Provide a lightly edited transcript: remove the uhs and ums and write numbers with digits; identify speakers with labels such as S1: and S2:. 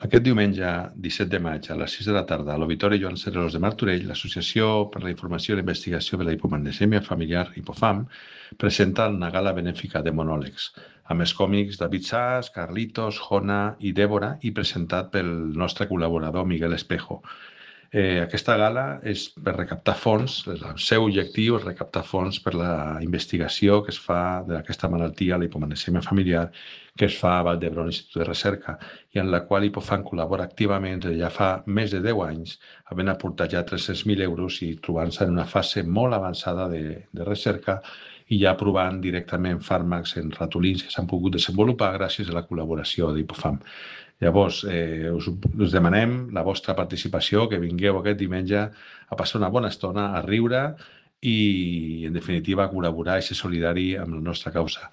S1: Aquest diumenge 17 de maig a les 6 de la tarda a l'Auditori Joan Cereros de Martorell, l'Associació per la Informació i la Investigació de la Hipomagnesèmia Familiar, Hipofam, presenta una gala benèfica de monòlegs, amb els còmics David Sass, Carlitos, Jona i Débora i presentat pel nostre col·laborador Miguel Espejo. Aquesta gala és per recaptar fons, el seu objectiu és recaptar fons per la investigació que es fa d'aquesta malaltia, la hipomagnesèmia familiar, que es fa a Vall d'Hebron Institut de Recerca i en la qual Hipofam col·labora activament ja fa més de 10 anys, havent aportat ja 300.000 euros i trobant-se en una fase molt avançada de recerca i ja provant directament fàrmacs en ratolins que s'han pogut desenvolupar gràcies a la col·laboració d'Hipofam. Llavors, us demanem la vostra participació, que vingueu aquest diumenge a passar una bona estona, a riure i, en definitiva, a col·laborar i ser solidari amb la nostra causa.